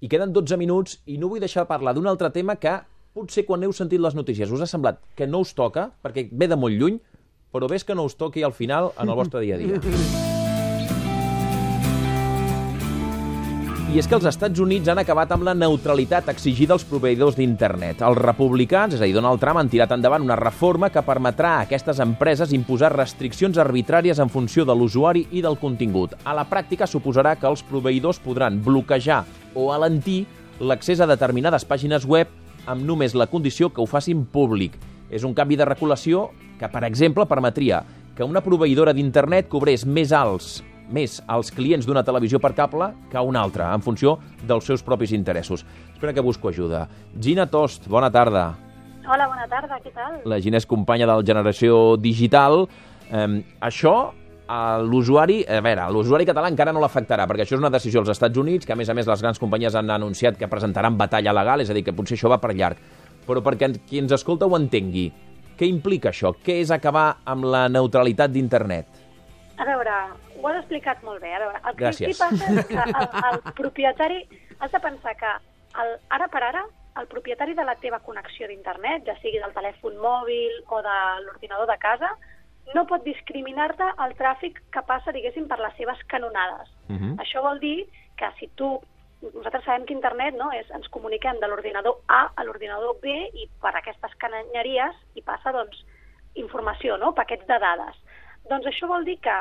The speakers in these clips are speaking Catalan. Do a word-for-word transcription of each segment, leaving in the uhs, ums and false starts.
i queden dotze minuts i no vull deixar de parlar d'un altre tema que potser quan heu sentit les notícies us ha semblat que no us toca, perquè ve de molt lluny, però ves que no us toqui al final en el vostre dia a dia. I és que els Estats Units han acabat amb la neutralitat exigida als proveïdors d'internet. Els republicans, és a dir, Donald Trump, han tirat endavant una reforma que permetrà a aquestes empreses imposar restriccions arbitràries en funció de l'usuari i del contingut. A la pràctica suposarà que els proveïdors podran bloquejar o alentir l'accés a determinades pàgines web amb només la condició que ho facin públic. És un canvi de regulació que, per exemple, permetria que una proveïdora d'internet cobrés més alts més als clients d'una televisió per cable que una altra, en funció dels seus propis interessos. Espera que busco ajuda. Gina Tost, bona tarda. Hola, bona tarda, què tal? La Gina és companya del Generació Digital. Eh, això, a l'usuari, a veure, a l'usuari català encara no l'afectarà, perquè això és una decisió als Estats Units, que a més a més les grans companyies han anunciat que presentaran batalla legal, és a dir, que potser això va per llarg. Però perquè qui ens escolta ho entengui, què implica això? Què és acabar amb la neutralitat d'internet? A veure, ho has explicat molt bé. A veure, el que Gràcies. aquí passa és que el, el propietari... Has de pensar que el, ara per ara el propietari de la teva connexió d'internet, ja sigui del telèfon mòbil o de l'ordinador de casa, no pot discriminar-te el tràfic que passa, diguéssim, per les seves canonades. Uh -huh. Això vol dir que si tu... Nosaltres sabem que internet, no, és, ens comuniquem de l'ordinador A a l'ordinador B i per aquestes canonyeries hi passa, doncs, informació, no?, paquets de dades. Doncs això vol dir que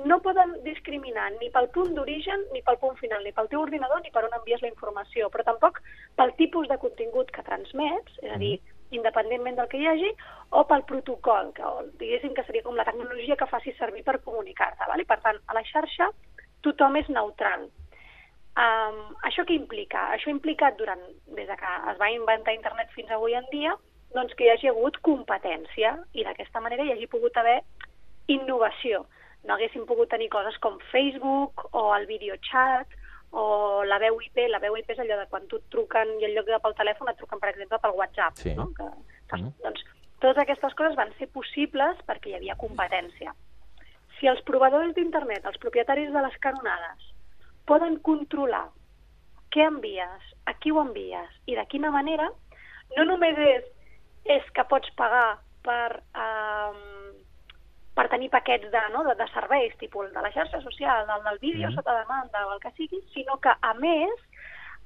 no poden discriminar ni pel punt d'origen ni pel punt final, ni pel teu ordinador ni per on envies la informació, però tampoc pel tipus de contingut que transmets, és a dir, independentment del que hi hagi, o pel protocol, que diguéssim que seria com la tecnologia que facis servir per comunicar-te. Val? I per tant, a la xarxa tothom és neutral. Um, això què implica? Això ha implicat durant, des de que es va inventar internet fins avui en dia, doncs que hi hagi hagut competència i d'aquesta manera hi hagi pogut haver innovació. No haguéssim pogut tenir coses com Facebook o el videochat o la veu I P. La veu I P és allò de quan tu et truquen i en lloc de pel telèfon et truquen, per exemple, pel WhatsApp. Sí. No? Que, que, mm. Doncs totes aquestes coses van ser possibles perquè hi havia competència. Si els proveïdors d'internet, els propietaris de les canonades, poden controlar què envies, a qui ho envies i de quina manera, no només és, és que pots pagar per... Um, per tenir paquets de, no, de, de serveis, tipus el de la xarxa social, el del vídeo mm. sota demanda o el que sigui, sinó que, a més,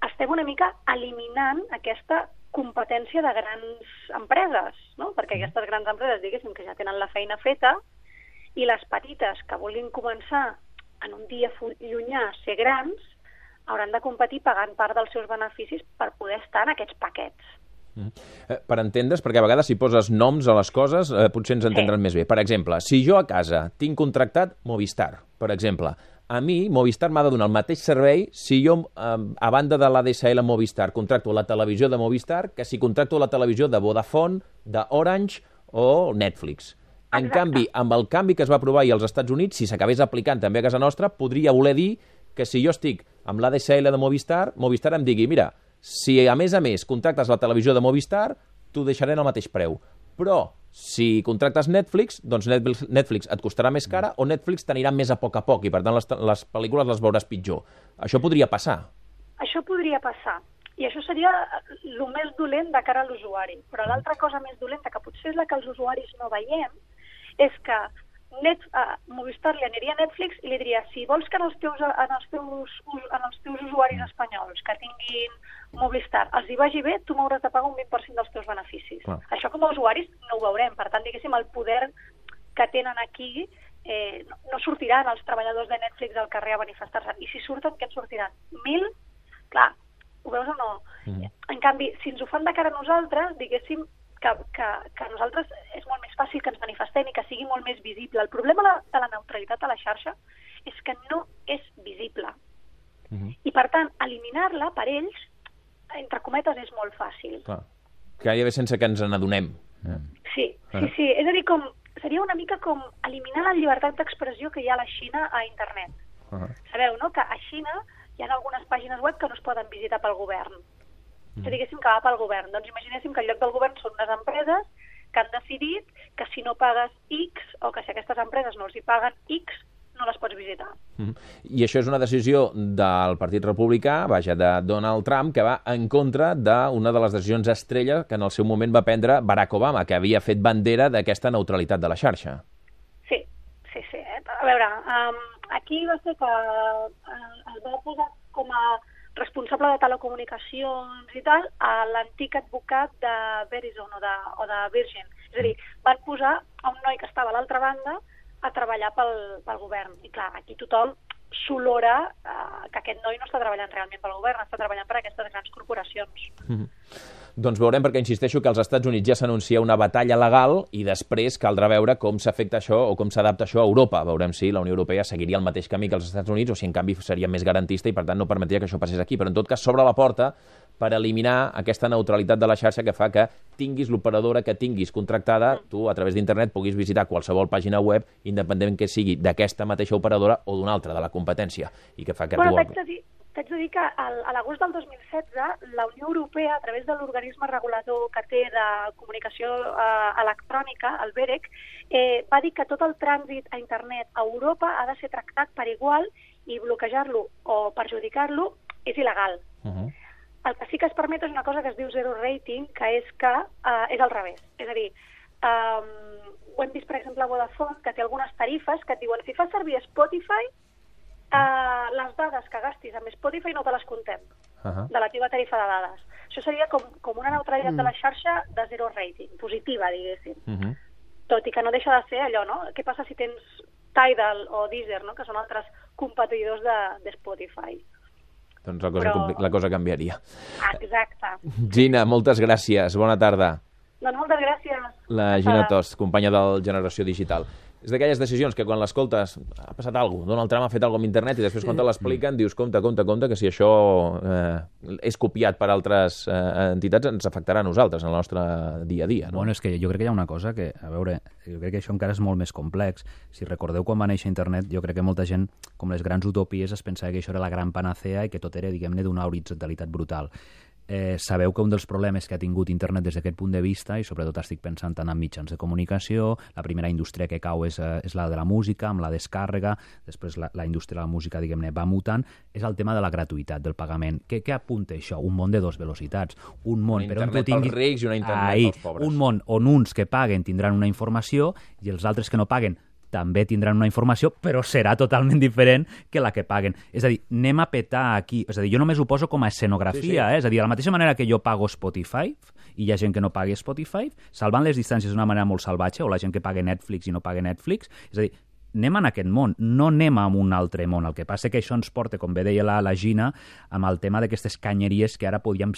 estem una mica eliminant aquesta competència de grans empreses, no? Perquè mm. aquestes grans empreses, diguéssim, que ja tenen la feina feta, i les petites que vulguin començar en un dia llunyà a ser grans, hauran de competir pagant part dels seus beneficis per poder estar en aquests paquets. Mm. Eh, per entendre's, perquè a vegades si poses noms a les coses eh, potser ens entendran sí. més bé. Per exemple, si jo a casa tinc contractat Movistar, per exemple, a mi Movistar m'ha de donar el mateix servei si jo, eh, a banda de l'A D S L Movistar, contracto la televisió de Movistar que si contracto la televisió de Vodafone, d'Orange o Netflix. En Exacte. Canvi, amb el canvi que es va aprovar als Estats Units, si s'acabés aplicant també a casa nostra, podria voler dir que si jo estic amb l'A D S L de Movistar, Movistar em digui, mira, si a més a més contractes la televisió de Movistar, t'ho deixaré en el mateix preu. Però si contractes Netflix, doncs Netflix, Netflix et costarà més cara o Netflix t'anirà més a poc a poc i per tant les, les pel·lícules les veuràs pitjor. Això podria passar. Això podria passar. I això seria el més dolent de cara a l'usuari. Però l'altra cosa més dolenta, que potser és la que els usuaris no veiem, és que Net, uh, Movistar li aniria a Netflix i li diria, si vols que en els teus, en els teus, en els teus usuaris espanyols que tinguin Movistar els hi vagi bé, tu m'hauràs de pagar un vint per cent dels teus beneficis. Clar. Això com a usuaris no ho veurem. Per tant, diguéssim, el poder que tenen aquí eh, no, no sortiran els treballadors de Netflix al carrer a manifestar-se. I si surten, què en sortiran? Mil? Clar, ho veus o no? Mm. En canvi, si ens ho fan de cara a nosaltres, diguéssim, Que, que, que a nosaltres és molt més fàcil que ens manifestem i que sigui molt més visible. El problema de la neutralitat a la xarxa és que no és visible. Uh-huh. I, per tant, eliminar-la per ells, entre cometes, és molt fàcil. Clar. Gairebé sense que ens n'adonem. Uh-huh. Sí, sí, sí. És a dir, com, seria una mica com eliminar la llibertat d'expressió que hi ha a la Xina a internet. Uh-huh. Sabeu, no?, que a Xina hi ha algunes pàgines web que no es poden visitar pel govern. Que diguéssim que va pel govern. Doncs imaginéssim que en lloc del govern són unes empreses que han decidit que si no pagues X, o que si aquestes empreses no els hi paguen X, no les pots visitar. Mm. I això és una decisió del Partit Republicà, vaja, de Donald Trump, que va en contra d'una de les decisions estrella que en el seu moment va prendre Barack Obama, que havia fet bandera d'aquesta neutralitat de la xarxa. Sí, sí, sí. Eh? A veure, um, aquí va ser que uh, es va posar com a responsable de telecomunicacions i tal a l'antic advocat de Verizon o de, o de Virgin. És a dir, van posar a un noi que estava a l'altra banda a treballar pel, pel govern. I clar, aquí tothom s'olora eh, que aquest noi no està treballant realment pel govern, està treballant per aquestes grans corporacions. Mm-hmm. Doncs veurem, perquè insisteixo que als Estats Units ja s'anuncia una batalla legal i després caldrà veure com s'afecta això o com s'adapta això a Europa. Veurem si la Unió Europea seguiria el mateix camí que els Estats Units o si en canvi seria més garantista i per tant no permetria que això passés aquí. Però en tot cas s'obre la porta per eliminar aquesta neutralitat de la xarxa que fa que tinguis l'operadora que tinguis contractada, tu a través d'internet puguis visitar qualsevol pàgina web, independentment que sigui d'aquesta mateixa operadora o d'una altra, de la competència. I que fa que bueno, tu... t'haig de dir, t'haig de dir que al, a l'agost del dos mil setze la Unió Europea, a través de l'organisme regulador que té de comunicació eh, electrònica, el BEREC, eh, va dir que tot el trànsit a internet a Europa ha de ser tractat per igual i bloquejar-lo o perjudicar-lo és il·legal. Uh-huh. El que sí que es permet és una cosa que es diu zero rating, que és que eh, és al revés. És a dir, eh, ho hem vist, per exemple, a Vodafone, que té algunes tarifes que et diuen si fas servir Spotify, eh, les dades que gastis amb Spotify no te les contem, uh-huh. de la teva tarifa de dades. Això seria com, com una neutralitat mm. de la xarxa de zero rating, positiva, diguéssim. Uh-huh. Tot i que no deixa de ser allò, no? Què passa si tens Tidal o Deezer, no? Que són altres competidors de, de Spotify. Doncs la cosa, Però... la cosa canviaria. Exacte. Gina, moltes gràcies. Bona tarda. Doncs moltes gràcies. La Gina Tost, companya del Generació Digital. És d'aquelles decisions que quan l'escoltes ha passat alguna cosa, Donald Trump ha fet alguna cosa amb internet i després quan te l'expliquen dius compte, compte, compte, que si això eh, és copiat per altres eh, entitats ens afectarà a nosaltres, en el nostre dia a dia. No? Bueno, és que jo crec que hi ha una cosa que, a veure, jo crec que això encara és molt més complex. Si recordeu quan va néixer internet, jo crec que molta gent, com les grans utopies, es pensava que això era la gran panacea i que tot era, diguem-ne, d'una horitzontalitat brutal. Eh, sabeu que un dels problemes que ha tingut internet des d'aquest punt de vista, i sobretot estic pensant tant en mitjans de comunicació, la primera indústria que cau és, eh, és la de la música, amb la descàrrega, després la, la indústria de la música, diguem-ne, va mutant, és el tema de la gratuïtat, del pagament. Què, què apunta això? Un món de dos velocitats. Un món una per on internet tu tinguis... pels rics i una internet Ahí, pels pobres. Un món on uns que paguen tindran una informació i els altres que no paguen també tindran una informació, però serà totalment diferent que la que paguen. És a dir, anem a petar aquí. És a dir, jo només ho poso com a escenografia, sí, sí. Eh? És a dir, de la mateixa manera que jo pago Spotify, i hi ha gent que no pagui Spotify, salvant les distàncies d'una manera molt salvatge, o la gent que paga Netflix i no paga Netflix. És a dir, anem en aquest món, no anem a un altre món. El que passa que això ens porta, com bé deia la, la Gina, amb el tema d'aquestes canyeries que ara podíem...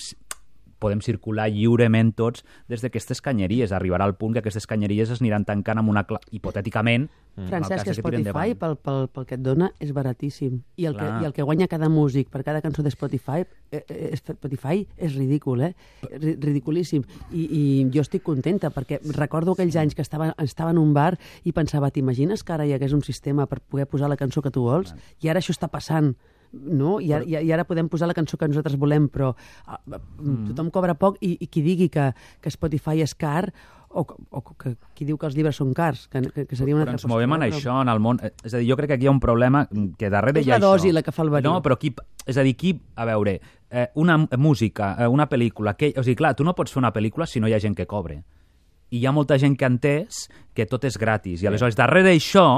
podem circular lliurement tots des d'aquestes canyeries. Arribarà al punt que aquestes canyeries es aniran tancant amb una... Cla... hipotèticament... Mm. Francesc, que Spotify, pel, pel, pel que et dona, és baratíssim. I el, que, I el que guanya cada músic per cada cançó de Spotify, eh, eh, Spotify és ridícul, eh? R ridiculíssim. I, I jo estic contenta, perquè recordo aquells anys que estava, estava en un bar i pensava, t'imagines que ara hi hagués un sistema per poder posar la cançó que tu vols? I ara això està passant. No? I, ara, I ara podem posar la cançó que nosaltres volem, però uh, mm. tothom cobra poc i, i qui digui que, que Spotify és car o, o que, qui diu que els llibres són cars, que, que, que seria una però altra ens movem en però... això, en el món... És a dir, jo crec que aquí hi ha un problema que darrere és hi ha la dosi això. La que fa el verí. No, però qui... És a dir, qui... A veure, eh, una música, eh, una pel·lícula... Que... O sigui, clar, tu no pots fer una pel·lícula si no hi ha gent que cobre. I hi ha molta gent que ha entès que tot és gratis. I aleshores, darrere d'això...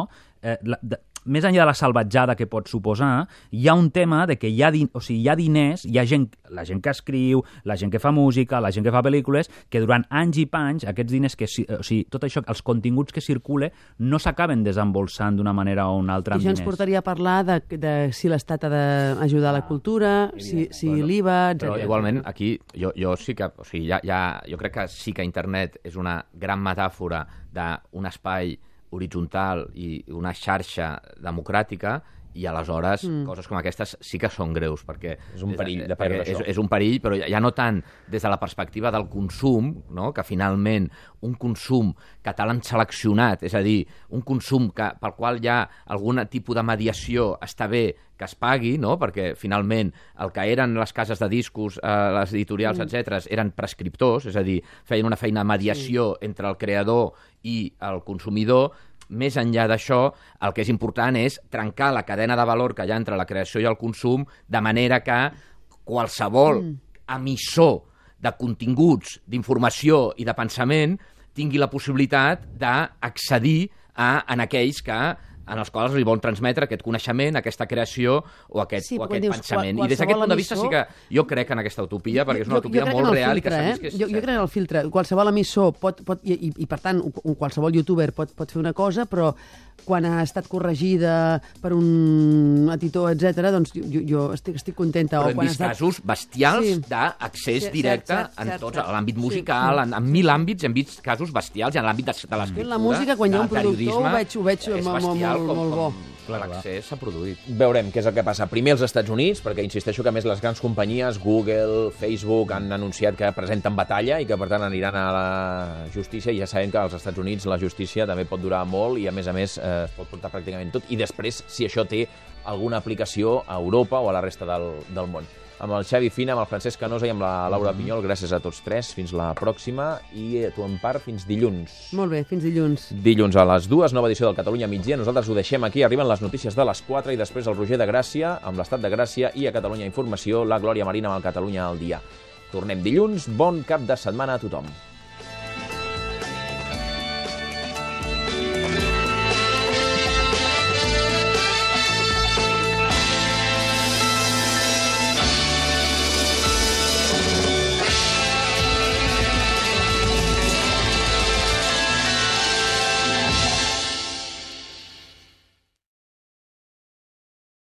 Eh, la, de, més enllà de la salvatjada que pot suposar, hi ha un tema de que hi ha, din o sigui, hi ha diners, hi ha gent, la gent que escriu, la gent que fa música, la gent que fa pel·lícules, que durant anys i panys aquests diners, que, o sigui, tot això, els continguts que circule, no s'acaben desembolsant d'una manera o una altra. I això ens portaria a parlar de, de si l'Estat ha d'ajudar a la cultura, ah, si, si bueno, l'I V A, etcètera. Però igualment, aquí jo, jo sí que... O sigui, ja, ja, jo crec que sí que internet és una gran metàfora d'un espai horitzontal i una xarxa democràtica i aleshores mm. coses com aquestes sí que són greus, perquè és un perill de perdre és, és un perill, però ja no tant des de la perspectiva del consum, no? Que finalment un consum que te l'han seleccionat, és a dir, un consum que, pel qual hi ha algun tipus de mediació està bé que es pagui, no? Perquè finalment el que eren les cases de discos, eh, les editorials, mm. etcètera, eren prescriptors, és a dir, feien una feina de mediació sí. entre el creador i el consumidor, més enllà d'això, el que és important és trencar la cadena de valor que hi ha entre la creació i el consum, de manera que qualsevol mm. emissor de continguts, d'informació i de pensament tingui la possibilitat d'accedir a, en aquells que en els quals li volen transmetre aquest coneixement, aquesta creació o aquest, sí, o aquest dius, pensament. qual, I des d'aquest punt de vista emissor... sí que jo crec en aquesta utopia, perquè és una jo, utopia jo molt real filtre, i que s'ha vist que és... Jo, jo crec en el filtre. Qualsevol emissor pot, pot i, i, i per tant, un, qualsevol youtuber pot, pot fer una cosa, però quan ha estat corregida per un editor, etcètera, doncs jo, jo estic, estic contenta. Però o hem quan vist estat... casos bestials sí. d'accés sí, directe cert, cert, en cert, tots, cert. a l'àmbit musical, sí. en, en mil àmbits hem vist casos bestials, i en l'àmbit de, de l'escriptura, la música, quan hi ha un productor, ho veig, ho veig és molt, molt, molt bo. L'accés s'ha produït. Veurem què és el que passa. Primer als Estats Units, perquè insisteixo que a més les grans companyies, Google, Facebook, han anunciat que presenten batalla i que per tant aniran a la justícia, i ja sabem que als Estats Units la justícia també pot durar molt i a més a més eh, es pot portar pràcticament tot, i després si això té alguna aplicació a Europa o a la resta del, del món. Amb el Xavi Fina, amb el Francesc Canosa i amb la Laura Pinyol, gràcies a tots tres. Fins la pròxima i a tu, Empar, fins dilluns. Molt bé, fins dilluns. Dilluns a les dues, nova edició del Catalunya Migdia. Nosaltres ho deixem aquí, arriben les notícies de les quatre i després el Roger de Gràcia, amb l'Estat de Gràcia, i a Catalunya Informació, la Glòria Marina amb el Catalunya al dia. Tornem dilluns, bon cap de setmana a tothom.